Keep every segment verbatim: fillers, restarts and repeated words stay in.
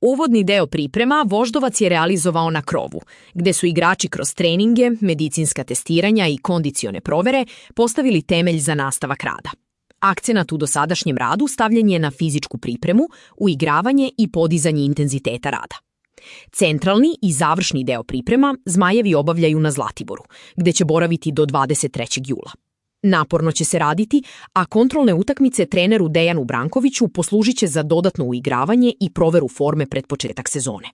Uvodni deo priprema Voždovac je realizovao na krovu, gde su igrači kroz treninge, medicinska testiranja i kondicione provere postavili temelj za nastavak rada. Akcenat u dosadašnjem radu stavljen je na fizičku pripremu, uigravanje i podizanje intenziteta rada. Centralni i završni deo priprema Zmajevi obavljaju na Zlatiboru, gde će boraviti do dvadeset trećeg jula. Naporno će se raditi, a kontrolne utakmice treneru Dejanu Brankoviću poslužit će za dodatno uigravanje i proveru forme pred početak sezone.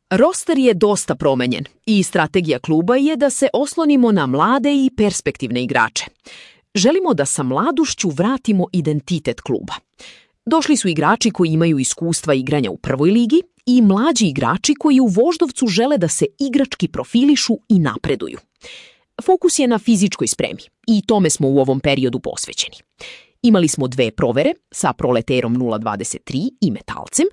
Roster je dosta promenjen i strategija kluba je da se oslonimo na mlade i perspektivne igrače. Želimo da sa mladušću vratimo identitet kluba. Došli su igrači koji imaju iskustva igranja u prvoj ligi i mlađi igrači koji u Voždovcu žele da se igrački profilišu i napreduju. Fokus je na fizičkoj spremi i tome smo u ovom periodu posvećeni. Imali smo dve provere sa Proleterom nula dvadeset tri i Metalcem.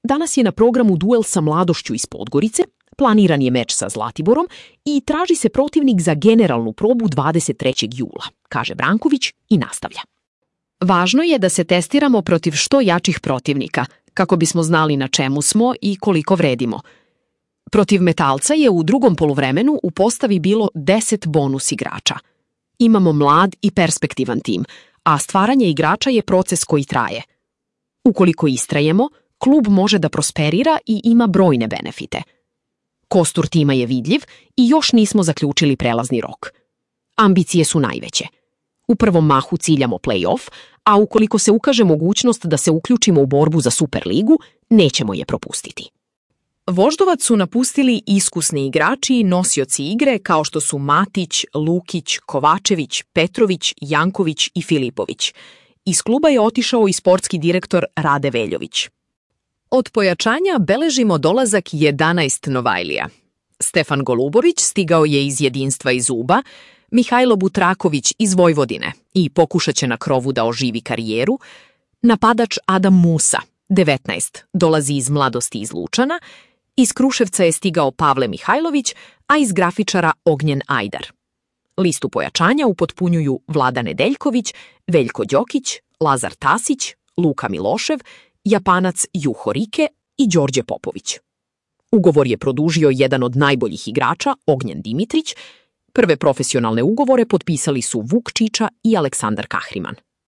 Danas je na programu duel sa Mladošću iz Podgorice, planiran je meč sa Zlatiborom i traži se protivnik za generalnu probu dvadeset trećeg jula, kaže Branković i nastavlja. Važno je da se testiramo protiv što jačih protivnika, kako bismo znali na čemu smo i koliko vredimo. Protiv Metalca je u drugom poluvremenu u postavi bilo deset bonus igrača. Imamo mlad i perspektivan tim, a stvaranje igrača je proces koji traje. Ukoliko istrajemo, klub može da prosperira i ima brojne benefite. Kostur tima je vidljiv i još nismo zaključili prelazni rok. Ambicije su najveće. U prvom mahu ciljamo play-off, a ukoliko se ukaže mogućnost da se uključimo u borbu za Superligu, nećemo je propustiti. Voždovac su napustili iskusni igrači i nosioci igre kao što su Matić, Lukić, Kovačević, Petrović, Janković i Filipović. Iz kluba je otišao i sportski direktor Rade Veljović. Od pojačanja beležimo dolazak jedanaest Novajlija. Stefan Golubović stigao je iz Jedinstva iz Uba, Mihajlo Butraković iz Vojvodine i pokušat će na krovu da oživi karijeru. Napadač Adam Musa, devetnaest, dolazi iz Mladosti iz Lučana, iz Kruševca je stigao Pavle Mihajlović, a iz grafičara Ognjen Ajdar. Listu pojačanja upotpunjuju Vlada Nedeljković, Veljko Đokić, Lazar Tasić, Luka Milošev, Japanac Juho Rike i Đorđe Popović. Ugovor je produžio jedan od najboljih igrača, Ognjen Dimitrić. Prve profesionalne ugovore potpisali su Vuk Čiča i Aleksandar Kahriman.